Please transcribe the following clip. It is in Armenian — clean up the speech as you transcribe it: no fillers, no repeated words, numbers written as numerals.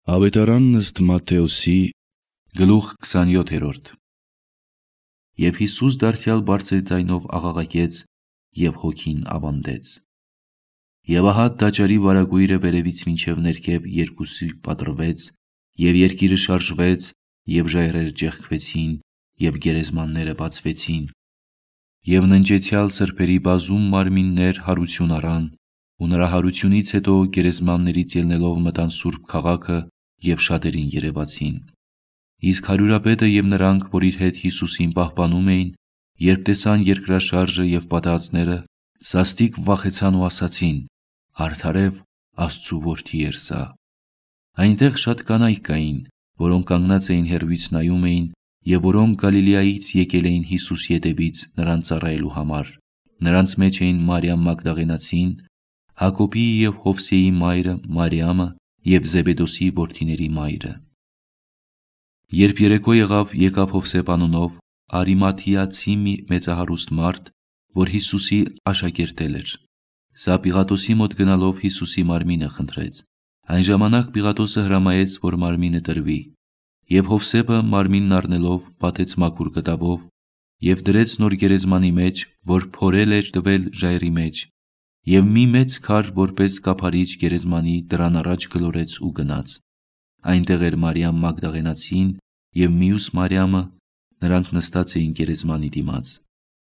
Ավետարանն ըստ Մատթեոսի, գլուխ 27: Եվ Հիսուս դարձյալ բարձր ձայնով աղաղակեց և հոգին ավանդեց: Եվ ահա տաճարի վարագույրը վերևից մինչև ներքև երկուսի պատռվեց, և երկիրը շարժվեց, և ժայռերը ճեղքվեցին, և գերեզմանները բացվեցին: Եվ ննջեցյալ սրբերի բազում մարմիններ հարություն առան, ու նրա հարությունից հետո գերեզմաններից ելնելով մտան սուրբ քաղաքը և շատերին երևացին: Իսկ հարյուրապետը և նրանք, որ իր հետ Հիսուսին պահպանում էին, երբ տեսան երկրաշարժը և պատահածները, սաստիկ վախեցան ու ասացին. «Արդարև Աստծու որդի էր սա»: Այնտեղ շատ կանայք կային, որոնք կանգնած էին հեռվից նայում էին, և որոնք Գալիլեայից եկել էին Հիսուսի ետևից նրան ծառայելու համար: Նրանց մեջ էին Մարիամ Մագդաղենացին, Հակոբի և Յովսեի մայրը Մարիամը և Զեբեդոսի որդիների մայրը: Երբ երեկո եղավ, եկավ Յովսեփ անունով Արիմաթայացի մի մեծահարուստ մարդ, որ Հիսուսի աշակերտել էր: Սա Պիղատոսի մոտ գնալով Հիսուսի մարմինը խնդրեց: Այն ժամանակ Պիղատոսը հրամայեց, որ մարմինը տրվի: Եվ Յովսեփը մարմինն առնելով պատեց մաքուր կտավով և դրեց նոր գերեզմանի մեջ, որ փորել էր տվել ժայռի մեջ, և մի մեծ քար որպես կափարիչ գերեզմանի դռան առաջ գլորեց ու գնաց: Այնտեղ էր Մարիամ Մագդաղենացին և մյուս Մարիամը, նրանք նստած էին գերեզմանի դիմաց: